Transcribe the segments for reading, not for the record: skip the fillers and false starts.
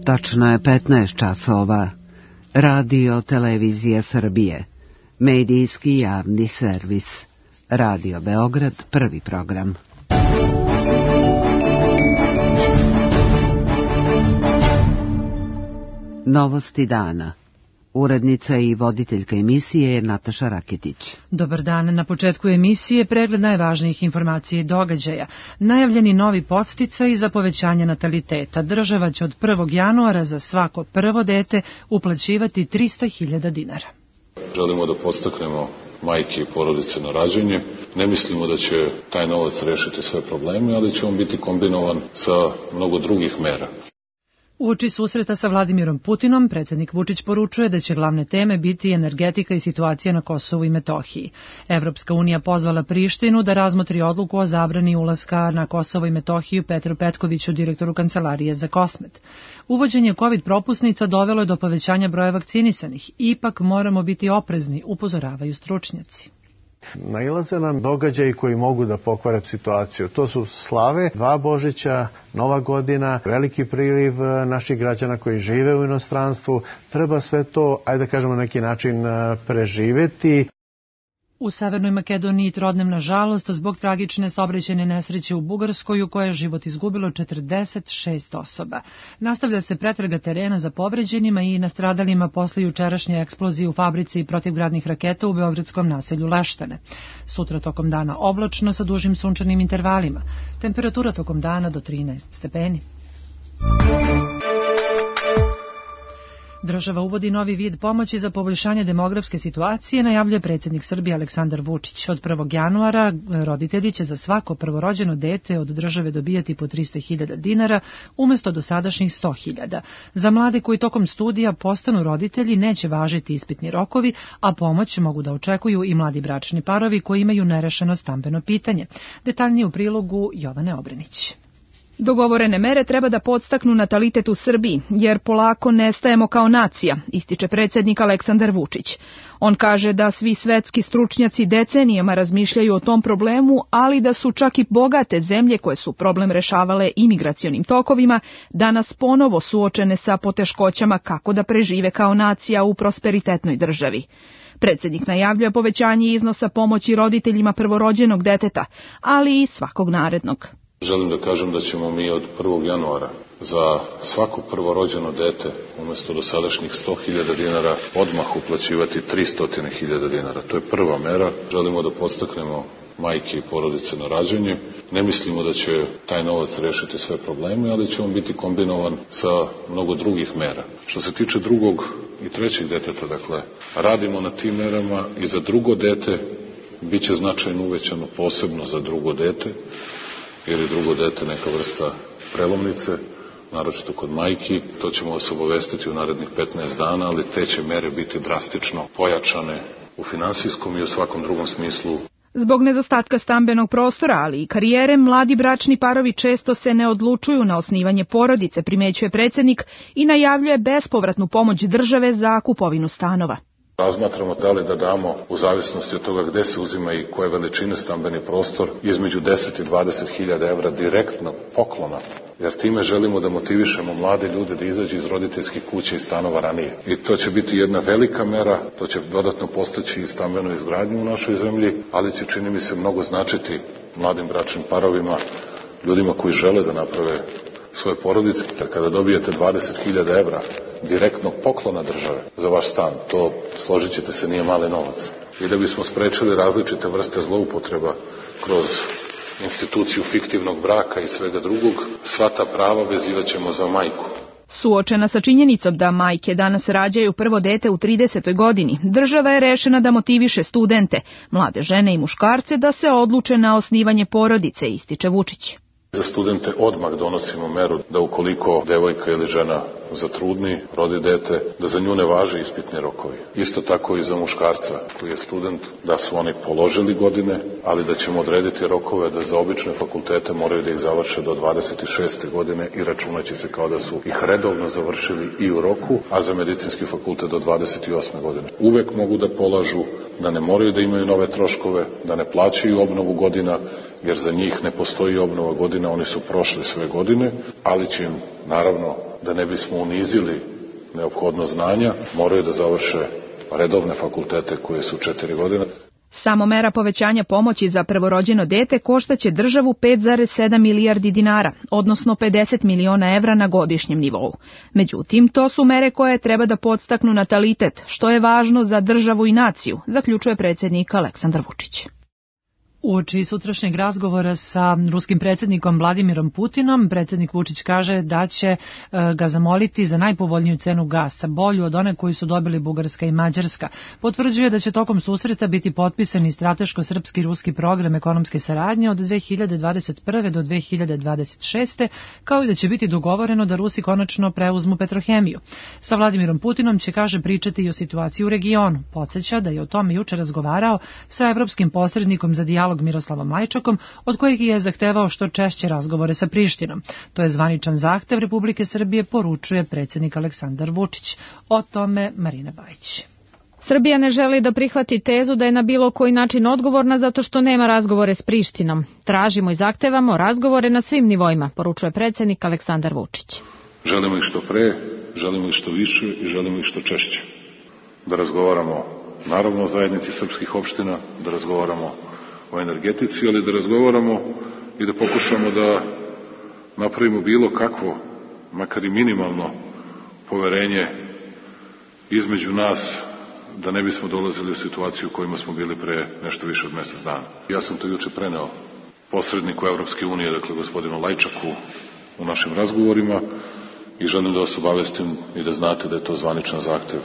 Tačno je 15 časova. Radio Televizija Srbije. Medijski javni servis. Radio Beograd, prvi program. Novosti dana. Urednica i voditeljka emisije je Nataša Raketić. Dobar dan. Na početku emisije pregled najvažnijih informacija i događaja. Najavljeni novi podsticaj za povećanje nataliteta. Država će od 1. januara za svako prvo dete uplaćivati 300.000 dinara. Želimo da podstaknemo majke i porodice na rađanje. Ne mislimo da će taj novac rešiti sve probleme, ali će on biti kombinovan sa mnogo drugih mera. Uoči susreta sa Vladimirom Putinom, predsjednik Vučić poručuje da će glavne teme biti energetika i situacija na Kosovu i Metohiji. Evropska unija pozvala Prištinu da razmotri odluku o zabrani ulaska na Kosovo i Metohiju Petru Petkoviću, direktoru Kancelarije za Kosmet. Uvođenje COVID propusnica dovelo je do povećanja broja vakcinisanih. Ipak moramo biti oprezni, upozoravaju stručnjaci. Nailaze nam događaji koji mogu da pokvare situaciju. To su slave, 2 Božića, Nova godina, veliki priliv naših građana koji žive u inostranstvu. Treba sve to, ajde da kažemo, na neki način preživeti. U Severnoj Makedoniji trodnevna žalost zbog tragične saobraćajne nesreće u Bugarskoj u kojoj je život izgubilo 46 osoba. Nastavlja se pretraga terena za povređenima i nastradalima posle jučerašnje eksplozije u fabrici protivgradnih raketa u beogradskom naselju Leštane. Sutra tokom dana oblačno sa dužim sunčanim intervalima. Temperatura tokom dana do 13 stepeni. Država uvodi novi vid pomoći za poboljšanje demografske situacije, najavljuje predsjednik Srbije Aleksandar Vučić. Od 1. januara roditelji će za svako prvorođeno dete od države dobijati po 300.000 dinara umjesto dosadašnjih 100.000. Za mlade koji tokom studija postanu roditelji neće važiti ispitni rokovi, a pomoć mogu da očekuju i mladi bračni parovi koji imaju nerešeno stambeno pitanje. Detaljnije u prilogu Jovane Obrenić. Dogovorene mere treba da podstaknu natalitet u Srbiji, jer polako nestajemo kao nacija, ističe predsjednik Aleksandar Vučić. On kaže da svi svetski stručnjaci decenijama razmišljaju o tom problemu, ali da su čak i bogate zemlje koje su problem rešavale imigracionim tokovima, danas ponovo suočene sa poteškoćama kako da prežive kao nacija u prosperitetnoj državi. Predsjednik najavljuje povećanje iznosa pomoći roditeljima prvorođenog deteta, ali i svakog narednog. Želim da kažem da ćemo mi od 1. januara za svako prvorođeno dete umjesto dosadašnjih 100.000 dinara odmah uplaćivati 300.000 dinara. To je prva mera. Želimo da podstaknemo majke i porodice na rađanje. Ne mislimo da će taj novac rešiti sve probleme, ali će on biti kombinovan sa mnogo drugih mera. Što se tiče drugog i trećeg deteta, dakle, radimo na tim merama i za drugo dete bit će značajno uvećano, posebno za drugo dete, jer je drugo dete neka vrsta prelomnice, naročito kod majki. To ćemo vas obavestiti u narednih 15 dana, ali te će mere biti drastično pojačane u finansijskom i u svakom drugom smislu. Zbog nedostatka stambenog prostora, ali i karijere, mladi bračni parovi često se ne odlučuju na osnivanje porodice, primećuje predsjednik i najavljuje bespovratnu pomoć države za kupovinu stanova. Razmatramo da li da damo, u zavisnosti od toga gde se uzima i koje veličine stambeni prostor, između 10 i 20.000 evra direktno poklona, jer time želimo da motivišemo mlade ljude da izađu iz roditeljskih kuća i stanova ranije. I to će biti jedna velika mera, to će dodatno postaći i stambenu izgradnju u našoj zemlji, ali će, čini mi se, mnogo značiti mladim bračnim parovima, ljudima koji žele da naprave svoje porodice. Kada dobijete 20.000 evra direktnog poklona države za vaš stan, to, složit ćete se, nije mali novac. I da bismo sprečili različite vrste zloupotreba kroz instituciju fiktivnog braka i svega drugog, sva ta prava vezivat ćemo za majku. Suočena sa činjenicom da majke danas rađaju prvo dete u 30. godini, država je rešena da motiviše studente, mlade žene i muškarce da se odluče na osnivanje porodice, ističe Vučić. Za studente odmah donosimo meru da ukoliko devojka ili žena zatrudni, rodi dete, da za nju ne važe ispitni rokovi. Isto tako i za muškarca koji je student, da su oni položili godine, ali da ćemo odrediti rokove da za obične fakultete moraju da ih završe do 26. godine i računaće se kao da su ih redovno završili i u roku, a za medicinski fakultet do 28. godine. Uvek mogu da polažu, da ne moraju da imaju nove troškove, da ne plaćaju obnovu godina jer za njih ne postoji obnova godina, oni su prošli sve godine, ali će im, naravno, da ne bismo unizili neophodno znanja, moraju da završe redovne fakultete koje su 4 godine. Samo mera povećanja pomoći za prvorođeno dete koštaće državu 5,7 milijardi dinara, odnosno 50 miliona evra na godišnjem nivou. Međutim, to su mere koje treba da podstaknu natalitet, što je važno za državu i naciju, zaključuje predsjednik Aleksandar Vučić. Uoči sutrašnjeg razgovora sa ruskim predsjednikom Vladimirom Putinom, predsjednik Vučić kaže da će ga zamoliti za najpovoljniju cenu gasa, bolju od one koju su dobili Bugarska i Mađarska. Potvrđuje da će tokom susreta biti potpisani strateško-srpski ruski program ekonomske saradnje od 2021. do 2026. kao i da će biti dogovoreno da Rusi konačno preuzmu Petrohemiju. Sa Vladimirom Putinom će, kaže, pričati i o situaciji u regionu. Podsjeća da je o tome juče razgovarao sa evropskim posrednikom za dijalog Miroslavom Lajčakom, od kojeg je zahtevao što češće razgovore sa Prištinom. To je zvaničan zahtev Republike Srbije, poručuje predsjednik Aleksandar Vučić. O tome Marina Bajić. Srbija ne želi da prihvati tezu da je na bilo koji način odgovorna zato što nema razgovore s Prištinom. Tražimo i zahtevamo razgovore na svim nivoima, poručuje predsjednik Aleksandar Vučić. Želimo ih što pre, želimo ih što više i želimo ih što češće. Da razgovaramo, naravno, o zajednici srpskih opština, da razgovaramo o energetici, ali da razgovaramo i da pokušamo da napravimo bilo kakvo, makar i minimalno, poverenje između nas, da ne bismo dolazili u situaciju u kojima smo bili pre nešto više od mjesec dana. Ja sam to juče preneo posredniku Evropske unije, dakle gospodinu Lajčaku, u našim razgovorima i želim da vas obavestim i da znate da je to zvaničan zahtev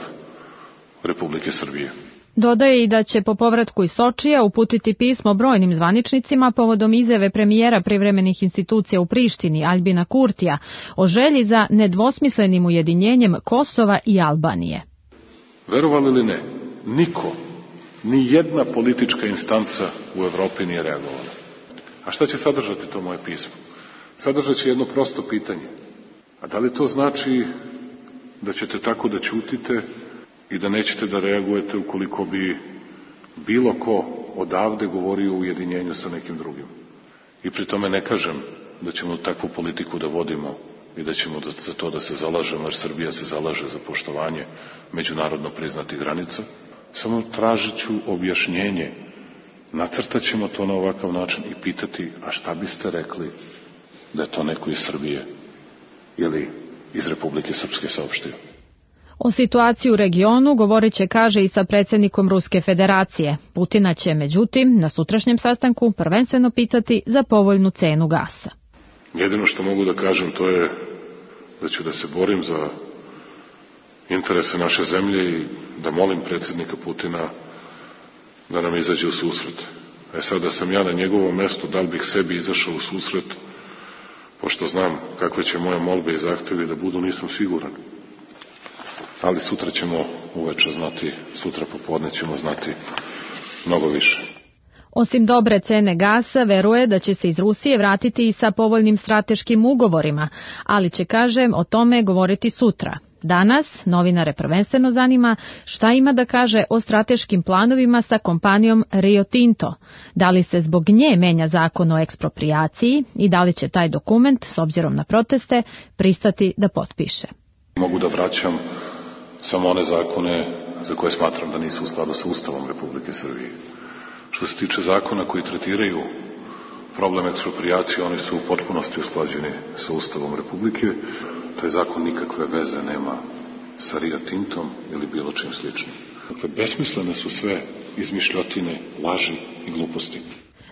Republike Srbije. Dodaje i da će po povratku iz Sočija uputiti pismo brojnim zvaničnicima povodom izjave premijera privremenih institucija u Prištini, Aljbina Kurtija, o želji za nedvosmislenim ujedinjenjem Kosova i Albanije. Verovali ili ne, niko, ni jedna politička instanca u Evropi nije reagovala. A šta će sadržati to moje pismo? Sadržat će jedno prosto pitanje. A da li to znači da ćete tako da ćutite i da nećete da reagujete ukoliko bi bilo ko odavde govorio o ujedinjenju sa nekim drugim? I pri tome ne kažem da ćemo takvu politiku da vodimo i da ćemo za to da se zalažemo, jer Srbija se zalaže za poštovanje međunarodno priznatih granica. Samo tražit ću objašnjenje. Nacrtat ćemo to na ovakav način i pitati, a šta biste rekli da je to neko iz Srbije ili iz Republike Srpske saopštio? O situaciji u regionu govorit će, kaže, i sa predsjednikom Ruske federacije. Putina će, međutim, na sutrašnjem sastanku prvenstveno pitati za povoljnu cenu gasa. Jedino što mogu da kažem to je da ću da se borim za interese naše zemlje i da molim predsjednika Putina da nam izađe u susret. Sad da sam ja na njegovom mestu, da li bih sebi izašao u susret, pošto znam kakve će moje molbe i zahtevi da budu, nisam siguran. Ali sutra ćemo uveče znati, sutra popodne ćemo znati mnogo više. Osim dobre cene gasa, veruje da će se iz Rusije vratiti i sa povoljnim strateškim ugovorima, ali će, kaže, o tome govoriti sutra. Danas novinare prvenstveno zanima šta ima da kaže o strateškim planovima sa kompanijom Rio Tinto. Da li se zbog nje menja zakon o eksproprijaciji i da li će taj dokument, s obzirom na proteste, pristati da potpiše. Mogu da vraćam samo one zakone za koje smatram da nisu u skladu sa Ustavom Republike Srbije. Što se tiče zakona koji tretiraju problem eksproprijacije, oni su u potpunosti usklađeni sa Ustavom Republike. Taj zakon nikakve veze nema sa Rio Tintom ili bilo čim sličnim. Dakle, besmislene su sve izmišljotine, laži i gluposti.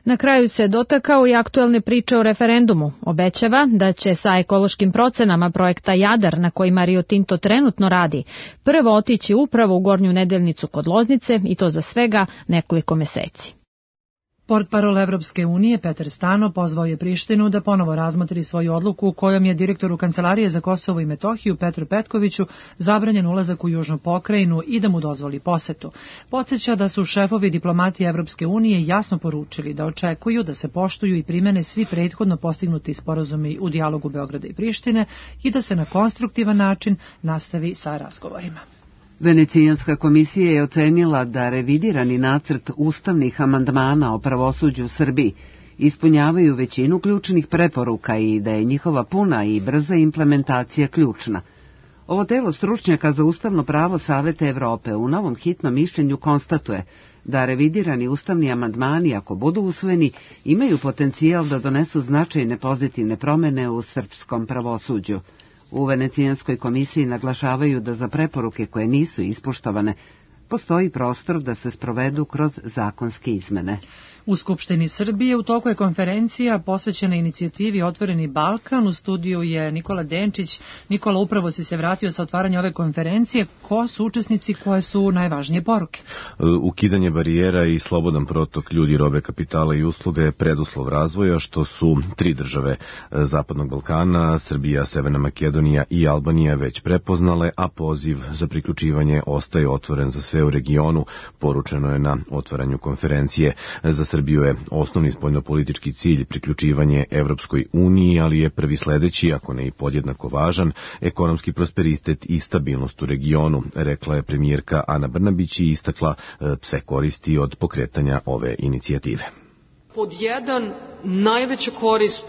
Na kraju se dotakao i aktuelne priče o referendumu. Obećava da će sa ekološkim procenama projekta Jadar, na kojima Rio Tinto trenutno radi, prvo otići upravo u Gornju Nedeljnicu kod Loznice i to za svega nekoliko meseci. Portparol Evropske unije Petar Stano pozvao je Prištinu da ponovo razmotri svoju odluku kojom je direktoru Kancelarije za Kosovo i Metohiju Petru Petkoviću zabranjen ulazak u južnu pokrajinu i da mu dozvoli posetu. Podsjeća da su šefovi diplomatije Evropske unije jasno poručili da očekuju da se poštuju i primene svi prethodno postignuti sporazumi u dijalogu Beograda i Prištine i da se na konstruktivan način nastavi sa razgovorima. Venecijanska komisija je ocenila da revidirani nacrt ustavnih amandmana o pravosuđu u Srbiji ispunjavaju većinu ključnih preporuka i da je njihova puna i brza implementacija ključna. Ovo telo stručnjaka za ustavno pravo Saveta Evrope u novom hitnom mišljenju konstatuje da revidirani ustavni amandmani, ako budu usvojeni, imaju potencijal da donesu značajne pozitivne promene u srpskom pravosuđu. U Venecijanskoj komisiji naglašavaju da za preporuke koje nisu ispoštovane postoji prostor da se sprovedu kroz zakonske izmene. U Skupštini Srbije u toku je konferencija posvećena inicijativi Otvoreni Balkan. U studiju je Nikola Denčić. Nikola, upravo si se vratio sa otvaranja ove konferencije. Ko su učesnici, koje su najvažnije poruke? Ukidanje barijera i slobodan protok ljudi, robe, kapitala i usluga je preduslov razvoja, što su 3 države Zapadnog Balkana, Srbija, Severna Makedonija i Albanija već prepoznale, a poziv za priključivanje ostaje otvoren za sve u regionu, poručeno je na otvaranju konferencije. Za Srbiju je osnovni spoljnopolitički cilj priključivanje Evropskoj uniji, ali je prvi sledeći, ako ne i podjednako važan, ekonomski prosperitet i stabilnost u regionu, rekla je premijerka Ana Brnabić i istakla sve koristi od pokretanja ove inicijative. Pod 1, najveća korist,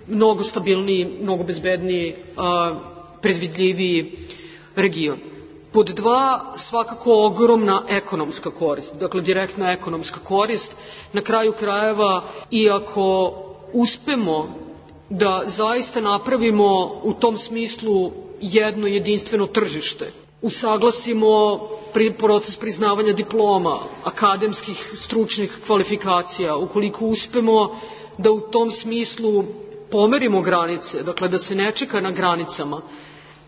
mnogo stabilniji, mnogo bezbedniji, predvidljiviji region. Pod 2, svakako ogromna ekonomska korist, dakle direktna ekonomska korist. Na kraju krajeva, iako uspemo da zaista napravimo u tom smislu jedno jedinstveno tržište, usaglasimo proces priznavanja diploma, akademskih stručnih kvalifikacija, ukoliko uspemo da u tom smislu pomerimo granice, dakle da se ne čeka na granicama,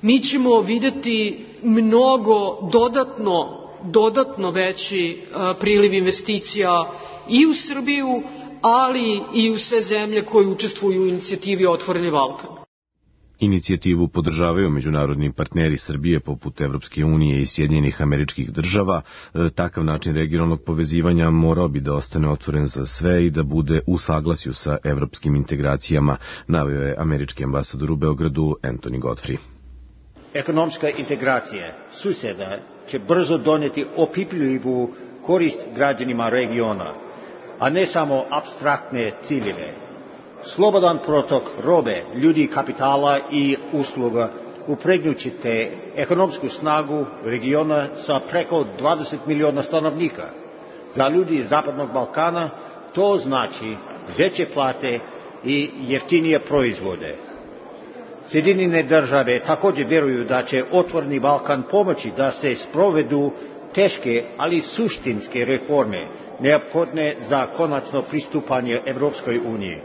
mi ćemo videti mnogo dodatno veći priliv investicija i u Srbiju, ali i u sve zemlje koje učestvuju u inicijativi Otvoreni Balkan. Inicijativu podržavaju međunarodni partneri Srbije poput Evropske unije i Sjedinjenih Američkih Država. Takav način regionalnog povezivanja morao bi da ostane otvoren za sve i da bude u saglasju sa evropskim integracijama, naveo je američki ambasador u Beogradu Anthony Godfrey. Ekonomska integracija suseda će brzo doneti opipljivu korist građanima regiona, a ne samo apstraktne ciljeve. Slobodan protok robe, ljudi, kapitala i usluga upregnućete ekonomsku snagu regiona sa preko 20 miliona stanovnika. Za ljudi Zapadnog Balkana to znači veće plate i jeftinije proizvode. Sjedinjene države također vjeruju da će Otvoreni Balkan pomoći da se sprovedu teške, ali suštinske reforme neophodne za konačno pristupanje Evropskoj uniji.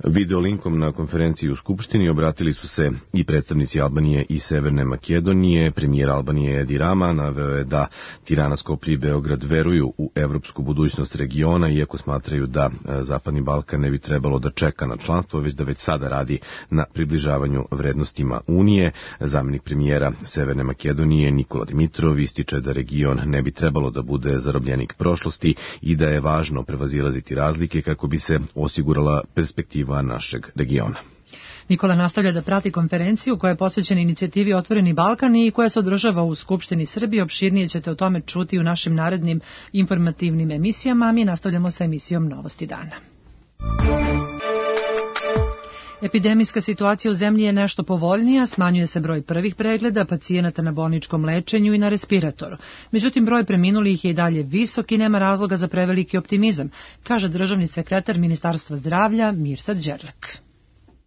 Video linkom na konferenciji u Skupštini obratili su se i predstavnici Albanije i Severne Makedonije. Premijer Albanije Edi Rama naveo je da Tirana, Skoplje i Beograd veruju u evropsku budućnost regiona, iako smatraju da Zapadni Balkan ne bi trebalo da čeka na članstvo, već da već sada radi na približavanju vrednostima Unije. Zamenik premijera Severne Makedonije Nikola Dimitrov ističe da region ne bi trebalo da bude zarobljenik prošlosti i da je važno prevazilaziti razlike kako bi se osigurala perspektiva našeg regiona. Nikola nastavlja da prati konferenciju koja je posvećena inicijativi Otvoreni Balkan i koja se održava u Skupštini Srbije. Opširnije ćete o tome čuti u našim narednim informativnim emisijama, a mi nastavljamo sa emisijom Novosti dana. Epidemijska situacija u zemlji je nešto povoljnija, smanjuje se broj prvih pregleda pacijenata na bolničkom lečenju i na respiratoru. Međutim, broj preminulih je i dalje visok i nema razloga za preveliki optimizam, kaže državni sekretar Ministarstva zdravlja Mirsad Đerlek.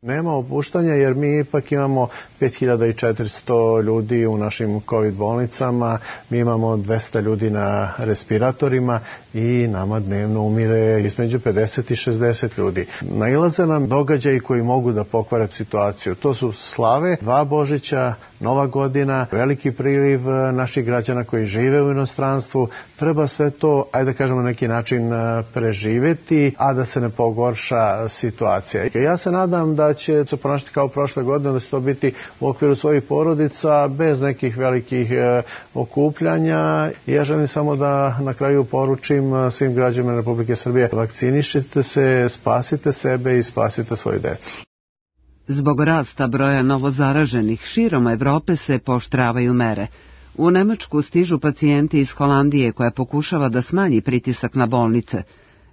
Nema opuštanja jer mi ipak imamo 5400 ljudi u našim COVID bolnicama, mi imamo 200 ljudi na respiratorima i nama dnevno umire između 50 i 60 ljudi. Nailaze nam događaji koji mogu da pokvare situaciju. To su slave, 2 Božića, Nova godina, veliki priliv naših građana koji žive u inostranstvu. Treba sve to, ajde da kažemo, na neki način preživeti, a da se ne pogorša situacija. Ja se nadam da će se ponašati kao prošle godine, da će to biti u okviru svojih porodica, bez nekih velikih okupljanja. Ja želim samo da na kraju poručim svim građanima Republike Srbije: vakcinišite se, spasite sebe i spasite svoju decu. Zbog rasta broja novozaraženih širom Evrope se pooštravaju mere. U Nemačku stižu pacijenti iz Holandije koja pokušava da smanji pritisak na bolnice.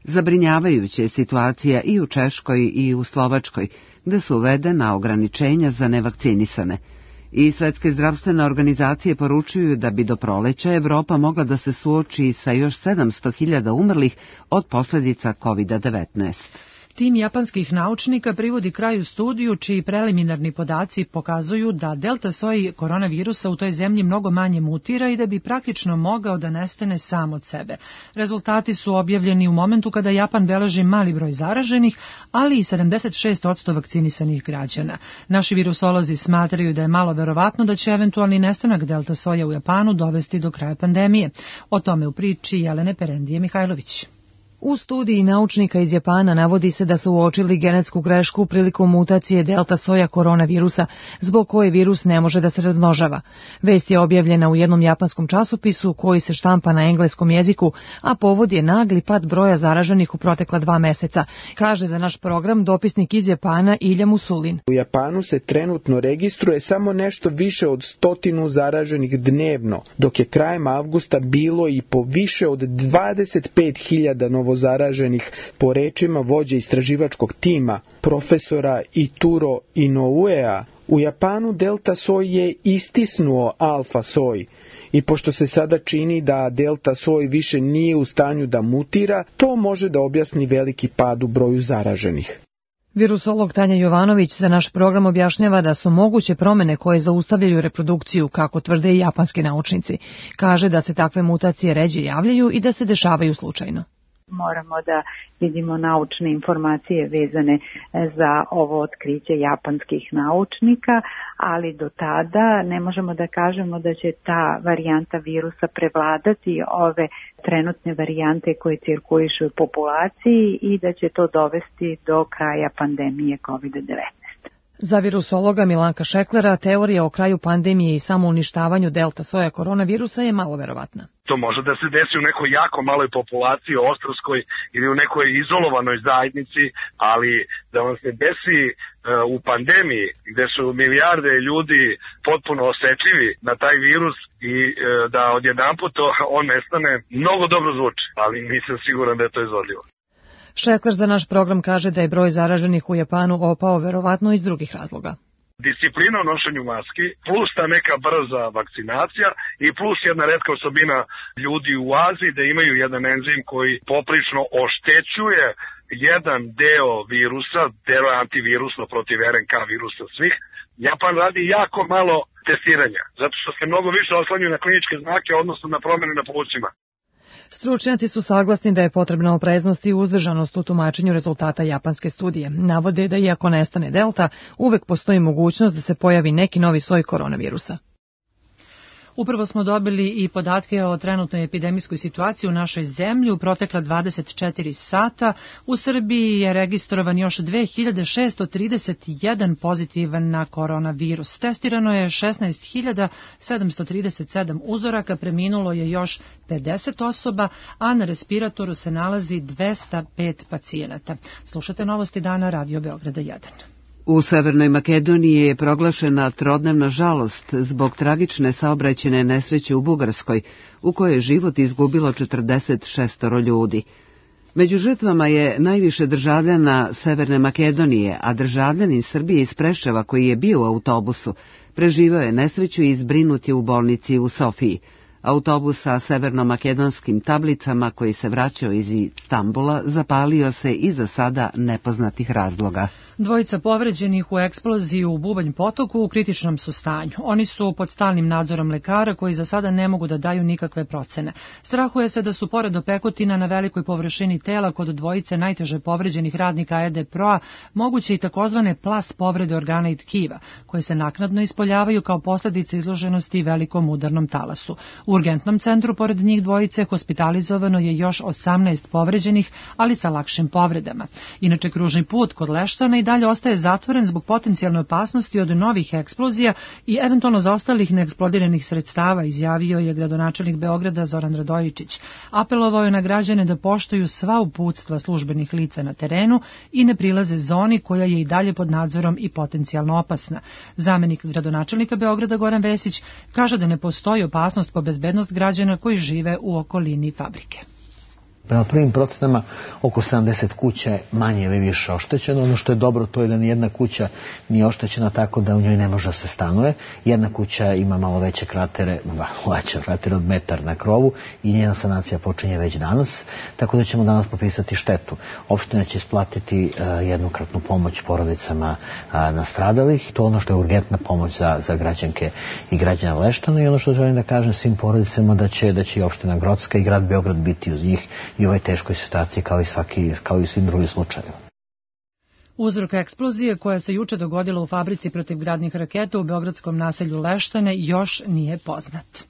Zabrinjavajuća je situacija i u Češkoj i u Slovačkoj, gde su uvedena ograničenja za nevakcinisane. I Svetske zdravstvene organizacije poručuju da bi do proleća Evropa mogla da se suoči sa još 700.000 umrlih od posljedica COVID-19. Tim japanskih naučnika privodi kraju studiju čiji preliminarni podaci pokazuju da delta soj koronavirusa u toj zemlji mnogo manje mutira i da bi praktično mogao da nestane sam od sebe. Rezultati su objavljeni u momentu kada Japan beleži mali broj zaraženih, ali i 76% vakcinisanih građana. Naši virusolozi smatraju da je malo verovatno da će eventualni nestanak delta soja u Japanu dovesti do kraja pandemije. O tome u priči Jelene Perendije Mihajlović. U studiji naučnika iz Japana navodi se da su uočili genetsku grešku prilikom mutacije delta soja koronavirusa, zbog koje virus ne može da se razmnožava. Vest je objavljena u jednom japanskom časopisu koji se štampa na engleskom jeziku, a povod je nagli pad broja zaraženih u protekla 2 meseca, kaže za naš program dopisnik iz Japana Ilja Musulin. U Japanu se trenutno registruje samo nešto više od 100 zaraženih dnevno, dok je krajem avgusta bilo i po više od 25.000 novozaraženih, po rečima vođe istraživačkog tima, profesora Ituro Inouea. U Japanu delta soj je istisnuo alfa soj i pošto se sada čini da delta soj više nije u stanju da mutira, to može da objasni veliki pad u broju zaraženih. Virusolog Tanja Jovanović za naš program objašnjava da su moguće promene koje zaustavljaju reprodukciju, kako tvrde i japanski naučnici. Kaže da se takve mutacije ređe javljaju i da se dešavaju slučajno. Moramo da vidimo naučne informacije vezane za ovo otkriće japanskih naučnika, ali do tada ne možemo da kažemo da će ta varijanta virusa prevladati ove trenutne varijante koje cirkulišu u populaciji i da će to dovesti do kraja pandemije COVID-19. Za virusologa Milanka Šeklera teorija o kraju pandemije i samouništavanju delta soja koronavirusa je malo verovatna. To može da se desi u nekoj jako maloj populaciji, ostrvskoj ili u nekoj izolovanoj zajednici, ali da vam se desi u pandemiji gde su milijarde ljudi potpuno osetljivi na taj virus i da odjedanput on nestane, mnogo dobro zvuči, ali nisam siguran da je to izvodljivo. Šekler za naš program kaže da je broj zaraženih u Japanu opao verovatno iz drugih razloga. Disciplina u nošenju maski, plus ta neka brza vakcinacija i plus jedna retka osobina ljudi u Aziji da imaju jedan enzim koji poprično oštećuje jedan deo virusa, deo antivirusno protiv RNK virusa svih. Japan radi jako malo testiranja, zato što se mnogo više oslanjuju na kliničke znake, odnosno na promjene na plućima. Stručnjaci su saglasni da je potrebna opreznost i uzdržanost u tumačenju rezultata japanske studije. Navode da iako nestane delta, uvek postoji mogućnost da se pojavi neki novi soj koronavirusa. Upravo smo dobili i podatke o trenutnoj epidemijskoj situaciji u našoj zemlji. U protekla 24 sata u Srbiji je registrovan još 2631 pozitivan na koronavirus. Testirano je 16.737 uzoraka, preminulo je još 50 osoba, a na respiratoru se nalazi 205 pacijenata. Slušate novosti dana Radio Beograda 1. U Severnoj Makedoniji je proglašena trodnevna žalost zbog tragične saobraćajne nesreće u Bugarskoj, u kojoj je život izgubilo 46 ljudi. Među žrtvama je najviše državljana Severne Makedonije, a državljanin Srbije iz Preševa koji je bio u autobusu preživao je nesreću i zbrinut je u bolnici u Sofiji. Autobus sa severnomakedonskim tablicama koji se vraćao iz Istambula zapalio se iz za sada nepoznatih razloga. Dvojica povređenih u eksploziji u Bubanj potoku u kritičnom su stanju. Oni su pod stalnim nadzorom lekara koji za sada ne mogu da daju nikakve procene. Strahuje se da su pored opekotina na velikoj površini tela kod dvojice najteže povređenih radnika EDPRO-a moguće i takozvane plast povrede organa i tkiva, koje se naknadno ispoljavaju kao posljedice izloženosti velikom udarnom talasu. U urgentnom centru pored njih dvojice hospitalizovano je još 18 povređenih, ali sa lakšim povredama. Inače, kružni put kod Leštana i dalje ostaje zatvoren zbog potencijalne opasnosti od novih eksplozija i eventualno zaostalih neeksplodiranih sredstava, izjavio je gradonačelnik Beograda Zoran Radojičić. Apelovao je na građane da poštuju sva uputstva službenih lica na terenu i ne prilaze zoni koja je i dalje pod nadzorom i potencijalno opasna. Zamenik gradonačelnika Beograda Goran Vesić kaže da ne postoji opasnost po bezbednost građana koji žive u okolini fabrike. Prema prvim procenama oko 70 kuća je manje ili više oštećeno. Ono što je dobro to je da nijedna kuća nije oštećena tako da u njoj ne može da se stanuje. Jedna kuća ima malo veće kratere od metar na krovu i njena sanacija počinje već danas, tako da ćemo danas popisati štetu. Opština će isplatiti jednokratnu pomoć porodicama nastradalih. To je ono što je urgentna pomoć za građanke i građana Leštana i ono što želim da kažem svim porodicama da će i opština Grocka i grad Beograd biti uz njih i u ovoj teškoj situaciji kao i svim drugim slučajevima. Uzrok eksplozije koja se juče dogodila u fabrici protivgradnih raketa u beogradskom naselju Leštane još nije poznat.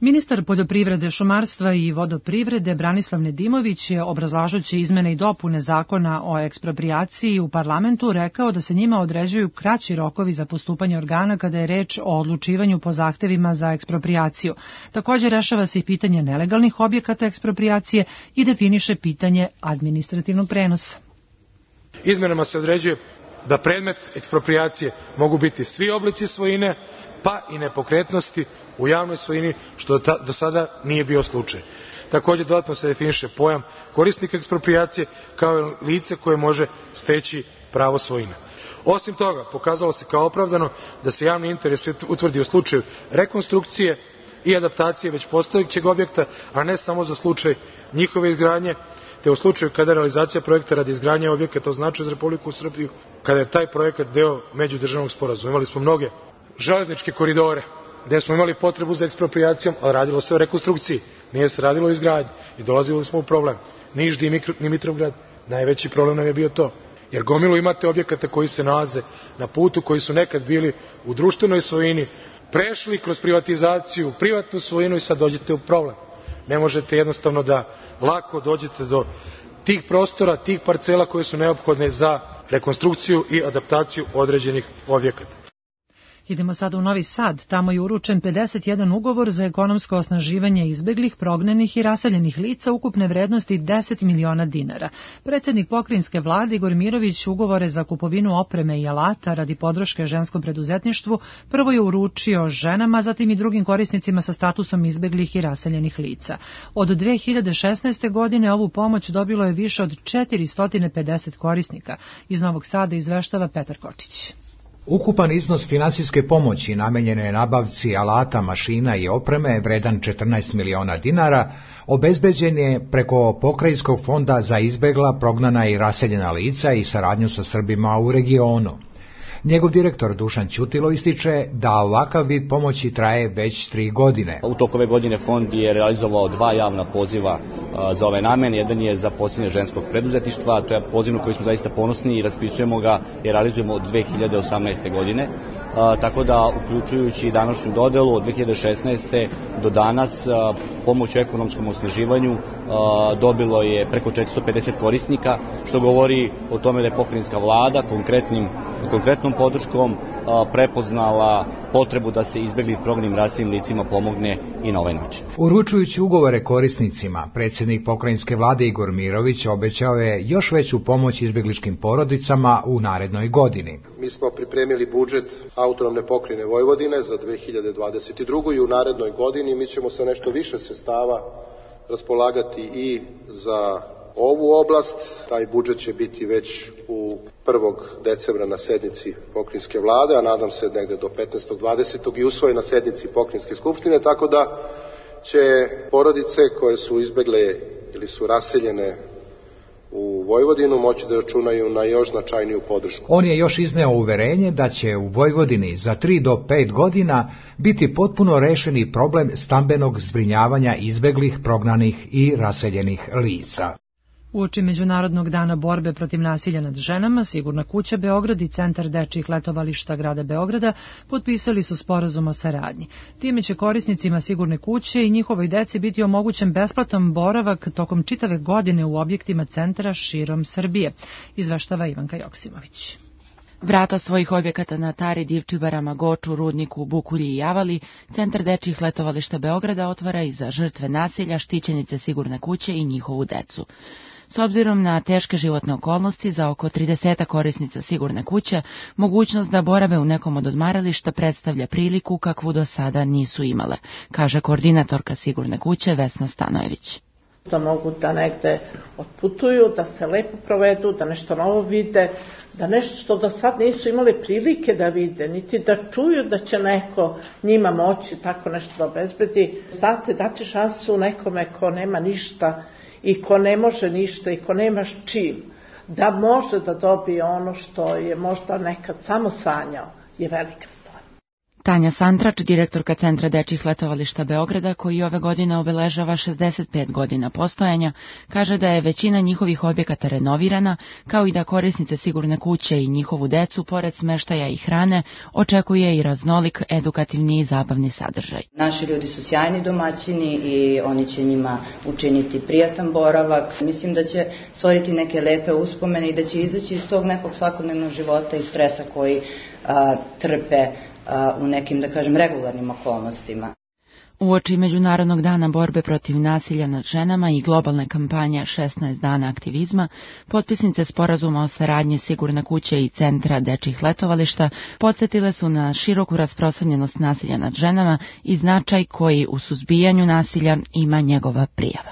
Ministar poljoprivrede, šumarstva i vodoprivrede Branislav Nedimović je, obrazlažući izmene i dopune zakona o eksproprijaciji u parlamentu, rekao da se njima određuju kraći rokovi za postupanje organa kada je reč o odlučivanju po zahtevima za eksproprijaciju. Također rešava se i pitanje nelegalnih objekata eksproprijacije i definiše pitanje administrativnog prenosa. Izmenama se određuje da predmet eksproprijacije mogu biti svi oblici svojine, pa i nepokretnosti u javnoj svojini, što do sada nije bio slučaj. Također dodatno se definiše pojam korisnika eksproprijacije kao i lice koje može steći pravo svojine. Osim toga, pokazalo se kao opravdano da se javni interes utvrdi u slučaju rekonstrukcije i adaptacije već postojećeg objekta, a ne samo za slučaj njihove izgradnje, te u slučaju kada realizacija projekta radi izgradnje objekata označuje za Republiku Srbiju, kada je taj projekat deo međudržavnog sporazuma. Imali smo mnoge železničke koridore gde smo imali potrebu za eksproprijacijom, ali radilo se o rekonstrukciji, nije se radilo o izgradnji i dolazili smo u problem. Niš, Dimitrovgrad, najveći problem nam je bio to. Jer gomilu imate objekata koji se nalaze na putu, koji su nekad bili u društvenoj svojini, prešli kroz privatizaciju, privatnu svojinu i sad dođete u problem. Ne možete jednostavno da lako dođete do tih prostora, tih parcela koje su neophodne za rekonstrukciju i adaptaciju određenih objekata. Idemo sada u Novi Sad. Tamo je uručen 51 ugovor za ekonomsko osnaživanje izbeglih, prognanih i raseljenih lica ukupne vrednosti 10 miliona dinara. Predsjednik pokrajinske vlade Igor Mirović ugovore za kupovinu opreme i alata radi podrške ženskom preduzetništvu prvo je uručio ženama, zatim i drugim korisnicima sa statusom izbeglih i raseljenih lica. Od 2016. godine ovu pomoć dobilo je više od 450 korisnika. Iz Novog Sada izveštava Petar Kočić. Ukupan iznos finansijske pomoći namenjene je nabavci alata, mašina i opreme vredan 14 miliona dinara, obezbeđen je preko Pokrajinskog fonda za izbegla, prognana i raseljena lica i saradnju sa Srbima u regionu. Njegov direktor Dušan Ćutilo ističe da ovakav vid pomoći traje već 3 godine. U toku ove godine fond je realizovao 2 javna poziva za ove namene. Jedan je za podsticanje ženskog preduzetništva, to je poziv na koji smo zaista ponosni i raspisujemo ga i realizujemo od 2018. godine. Tako da, uključujući današnju dodelu, od 2016. do danas pomoć u ekonomskom osnaživanju dobilo je preko 450 korisnika, što govori o tome da je pokrajinska vlada konkretnom podrškom prepoznala potrebu da se izbegli prognanim raseljenim licima pomogne i na ovaj način. Uručujući ugovore korisnicima, predsjednik pokrajinske vlade Igor Mirović obećao je još veću pomoć izbegličkim porodicama u narednoj godini. Mi smo pripremili budžet autonomne pokrajine Vojvodine za 2022. i u narednoj godini mi ćemo sa nešto više sredstava raspolagati i za ovu oblast. Taj budžet će biti već u 1. decembra na sednici pokrajinske vlade, a nadam se negde do 15. 20. i usvojen na sednici pokrajinske skupštine, tako da će porodice koje su izbegle ili su raseljene u Vojvodinu moći da računaju na još značajniju podršku. On je još izneo uverenje da će u Vojvodini za 3 do 5 godina biti potpuno rešeni problem stambenog zbrinjavanja izbeglih, prognanih i raseljenih lica. Uoči Međunarodnog dana borbe protiv nasilja nad ženama, Sigurna kuća Beograd i Centar dečijih letovališta grada Beograda potpisali su sporazum o saradnji. Time će korisnicima Sigurne kuće i njihovoj deci biti omogućen besplatan boravak tokom čitave godine u objektima centra širom Srbije, izveštava Ivanka Joksimović. Vrata svojih objekata na Tari, Divčibarama, Goču, Rudniku, Bukulji i Javali, Centar dečijih letovališta Beograda otvara i za žrtve nasilja, štićenice Sigurne kuće i njihovu decu. S obzirom na teške životne okolnosti, za oko 30 korisnica Sigurne kuće, mogućnost da borave u nekom od odmarališta predstavlja priliku kakvu do sada nisu imale, kaže koordinatorka Sigurne kuće Vesna Stanojević. da mogu da negde otputuju, da se lepo provedu, da nešto novo vide, da nešto što do sad nisu imali prilike da vide, niti da čuju da će neko njima moći tako nešto da obezbedi. Znate, dati šansu nekome ko nema ništa i ko ne može ništa i ko nema čim, da može da dobije ono što je možda nekad samo sanjao, je velika. Tanja Santrač, direktorka Centra dečjih letovališta Beograda, koji ove godine obeležava 65 godina postojanja, kaže da je većina njihovih objekata renovirana, kao i da korisnice sigurne kuće i njihovu decu, pored smeštaja i hrane, očekuje i raznolik edukativni i zabavni sadržaj. Naši ljudi su sjajni domaćini i oni će njima učiniti prijatan boravak. Mislim da će stvoriti neke lepe uspomene i da će izaći iz tog nekog svakodnevnog života i stresa koji trpe u nekim, da kažem, regularnim okolnostima. Uoči Međunarodnog dana borbe protiv nasilja nad ženama i globalne kampanje 16 dana aktivizma, potpisnice sporazuma o saradnji Sigurne kuće i Centra dečjih letovališta podsjetile su na široku rasprostranjenost nasilja nad ženama i značaj koji u suzbijanju nasilja ima njegova prijava.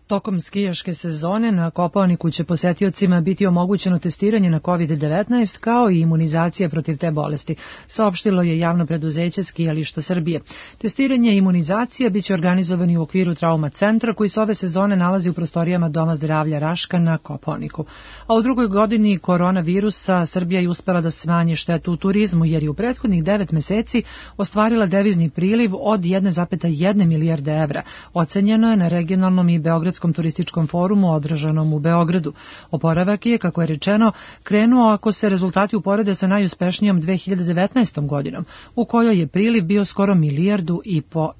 Tokom skijaške sezone na Kopaoniku će posetiocima biti omogućeno testiranje na COVID-19 kao i imunizacija protiv te bolesti, saopštilo je javno preduzeće Skijališta Srbije. Testiranje i imunizacija biće organizovani u okviru trauma centra koji se ove sezone nalazi u prostorijama Doma zdravlja Raška na Kopaoniku. A u drugoj godini koronavirusa Srbija je uspela da smanji štetu u turizmu jer je u prethodnih 9 meseci ostvarila devizni priliv od 1,1 milijarde evra. Ocenjeno je na regionalnom i beogradskom turističkom forumu održanom u Beogradu. Oporavak je, kako je rečeno, krenuo ako se rezultati uporede sa najuspešnijom 2019. godinom, u kojoj je priliv bio skoro 1,5 milijardu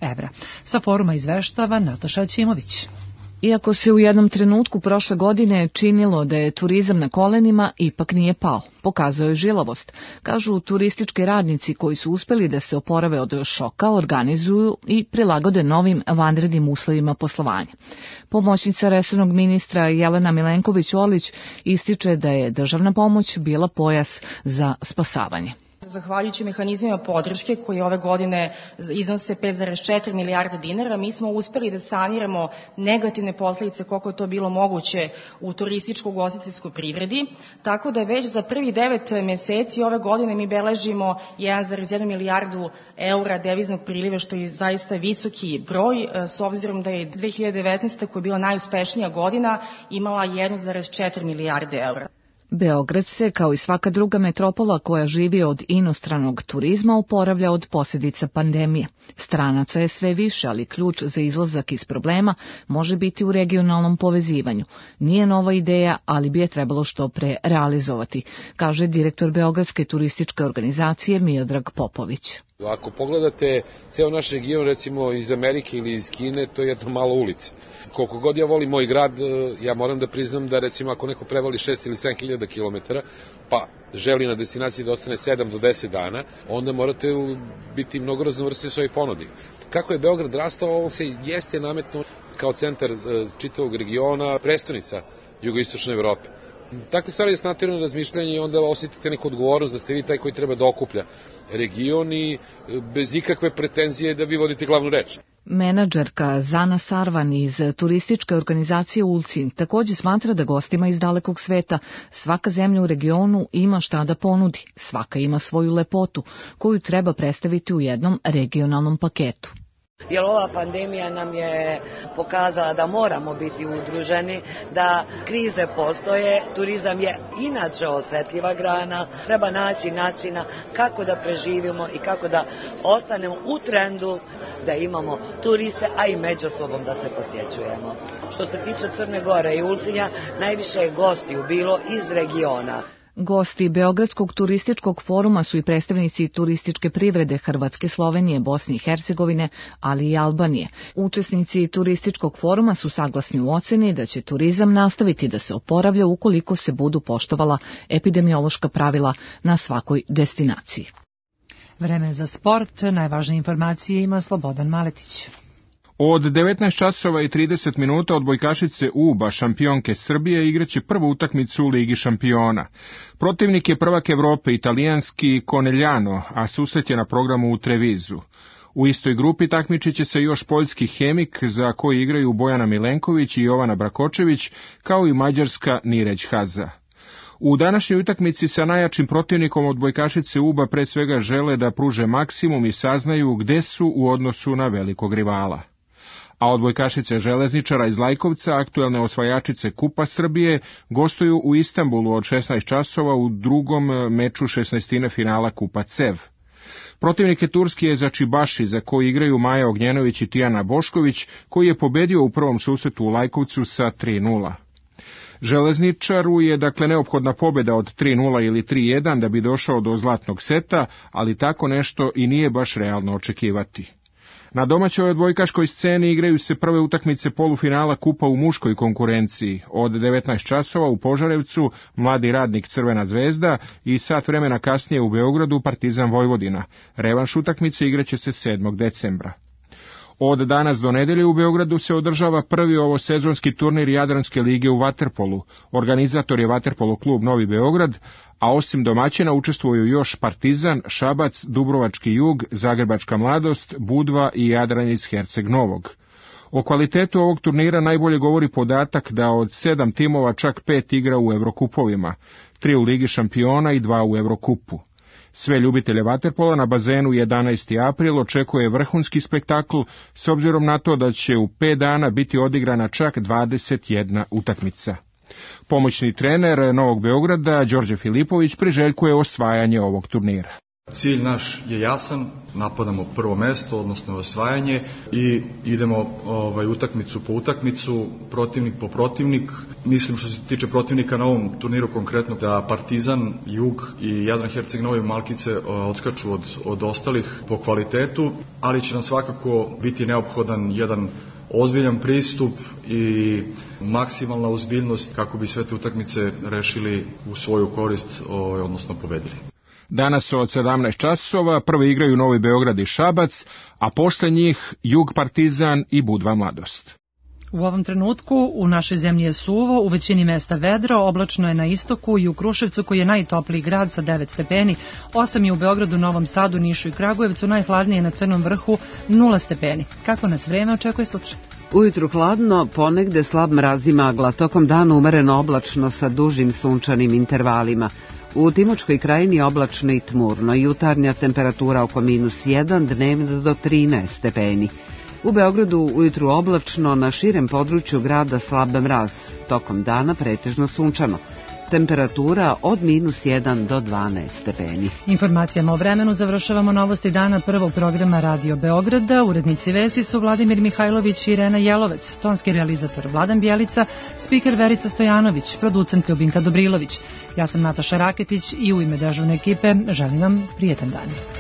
evra. Sa foruma izveštava Nataša Ćimović. Iako se u jednom trenutku prošle godine činilo da je turizam na kolenima, ipak nije pao. Pokazao je žilavost. Kažu turistički radnici koji su uspeli da se oporave od šoka, organizuju i prilagode novim vanrednim uslovima poslovanja. Pomoćnica resornog ministra Jelena Milenković-Orlić ističe da je državna pomoć bila pojas za spasavanje. Zahvaljujući mehanizmima podrške koji ove godine iznose 5,4 milijarde dinara, mi smo uspeli da saniramo negativne posledice koliko je to bilo moguće u turističko-ugostiteljskoj privredi, tako da već za prvih 9 meseci ove godine mi beležimo 1,1 milijardu eura deviznog priliva, što je zaista visoki broj, s obzirom da je 2019. koja je bila najuspešnija godina imala 1,4 milijarde eura. Beograd se, kao i svaka druga metropola koja živi od inostranog turizma, oporavlja od posljedica pandemije. Stranaca je sve više, ali ključ za izlazak iz problema može biti u regionalnom povezivanju. Nije nova ideja, ali bi je trebalo što pre realizovati, kaže direktor Beogradske turističke organizacije Miodrag Popović. Ako pogledate ceo naš region, recimo iz Amerike ili iz Kine, to je jedna mala ulica. Koliko god ja volim moj grad, ja moram da priznam da recimo ako neko prevali 6 ili 7 hiljada kilometara, pa želi na destinaciji da ostane 7 do 10 dana, onda morate biti mnogo raznovrsni u svojoj ponudi. Kako je Beograd rastao, on se jeste nametno kao centar čitavog regiona, prestonica jugoistočne Evrope. Takve stvari je snatirano razmišljanje i onda osjetite neku odgovornost da ste vi taj koji treba da okuplja region i bez ikakve pretenzije da vi vodite glavnu reč. Menadžerka Zana Sarvan iz turističke organizacije Ulcin također smatra da gostima iz dalekog sveta svaka zemlja u regionu ima šta da ponudi, svaka ima svoju lepotu koju treba predstaviti u jednom regionalnom paketu. Jer ova pandemija nam je pokazala da moramo biti udruženi, da krize postoje, turizam je inače osjetljiva grana, treba naći načina kako da preživimo i kako da ostanemo u trendu, da imamo turiste, a i među sobom da se posjećujemo. Što se tiče Crne Gore i Ulcinja, najviše je gostiju bilo iz regiona. Gosti Beogradskog turističkog foruma su i predstavnici turističke privrede Hrvatske, Slovenije, Bosne i Hercegovine, ali i Albanije. Učesnici turističkog foruma su saglasni u oceni da će turizam nastaviti da se oporavlja ukoliko se budu poštovala epidemiološka pravila na svakoj destinaciji. Vreme za sport, najvažnije informacije ima Slobodan Maletić. Od 19 časova i 30 minuta odbojkašice UBA, šampionke Srbije, igraće prvu utakmicu u Ligi šampiona. Protivnik je prvak Evrope, italijanski Conegliano, a susret je na programu u Trevizu. U istoj grupi takmičit će se još poljski Hemik, za koji igraju Bojana Milenković i Jovana Brakočević, kao i mađarska Nireć Haza. U današnjoj utakmici sa najjačim protivnikom odbojkašice UBA pre svega žele da pruže maksimum i saznaju gde su u odnosu na velikog rivala. A odbojkašice Železničara iz Lajkovca, aktuelne osvajačice Kupa Srbije, gostuju u Istanbulu od 16 časova u drugom meču 16. finala Kupa CEV. Protivnik je turski Ezačibaši, za koji igraju Maja Ognjenović i Tijana Bošković, koji je pobedio u prvom susretu u Lajkovcu sa 3:0. Železničaru je dakle neophodna pobjeda od 3:0 ili 3:1 da bi došao do zlatnog seta, ali tako nešto i nije baš realno očekivati. Na domaćoj odbojkaškoj sceni igraju se prve utakmice polufinala Kupa u muškoj konkurenciji. Od 19 časova u Požarevcu Mladi radnik Crvena zvezda i sat vremena kasnije u Beogradu Partizan Vojvodina. Revanš utakmice igraće se 7. decembra. Od danas do nedelje u Beogradu se održava prvi ovosezonski turnir Jadranske lige u vaterpolu. Organizator je Vaterpolo klub Novi Beograd, a osim domaćina učestvuju još Partizan, Šabac, Dubrovački jug, Zagrebačka mladost, Budva i Jadran iz Herceg Novog. O kvalitetu ovog turnira najbolje govori podatak da od 7 timova čak 5 igra u Evrokupovima, 3 u Ligi šampiona i 2 u Evrokupu. Sve ljubitelje vaterpola na bazenu 11. april očekuje vrhunski spektakl s obzirom na to da će u 5 dana biti odigrana čak 21 utakmica. Pomoćni trener Novog Beograda, Đorđe Filipović, priželjkuje osvajanje ovog turnira. Cilj naš je jasan, napadamo prvo mesto, odnosno osvajanje i idemo utakmicu po utakmicu, protivnik po protivnik. Mislim što se tiče protivnika na ovom turniru konkretno da Partizan, Jug i Jadran Herceg Novi Malkice odskaču od ostalih po kvalitetu, ali će nam svakako biti neophodan jedan ozbiljan pristup i maksimalna ozbiljnost kako bi sve te utakmice rešili u svoju korist, odnosno pobedili. Danas od 17 časova prve igraju Novi Beograd i Šabac, a posle njih Jug Partizan i Budva Mladost. U ovom trenutku u našoj zemlji je suvo, u većini mesta vedro, oblačno je na istoku i u Kruševcu koji je najtopliji grad sa 9 stepeni, 8 je u Beogradu, Novom Sadu, Nišu i Kragujevcu, najhladnije na Crnom vrhu 0 stepeni. Kako nas vreme očekuje sutra? Ujutru hladno, ponegde slab mraz i magla, tokom dana umereno oblačno sa dužim sunčanim intervalima. U Timočkoj krajini oblačno i tmurno, jutarnja temperatura oko -1, dnevno do 13 stepeni. U Beogradu ujutru oblačno, na širem području grada slab mraz, tokom dana pretežno sunčano. Temperatura od -1 do 12 stepeni. Informacijama o vremenu završavamo novosti dana prvog programa Radio Beograda. Urednici vesti su Vladimir Mihajlović i Irena Jelovec, tonski realizator Vladan Bjelica, spiker Verica Stojanović, producent Ljubinka Dobrilović. Ja sam Nataša Raketić i u ime dežurne ekipe želim vam prijetan dan.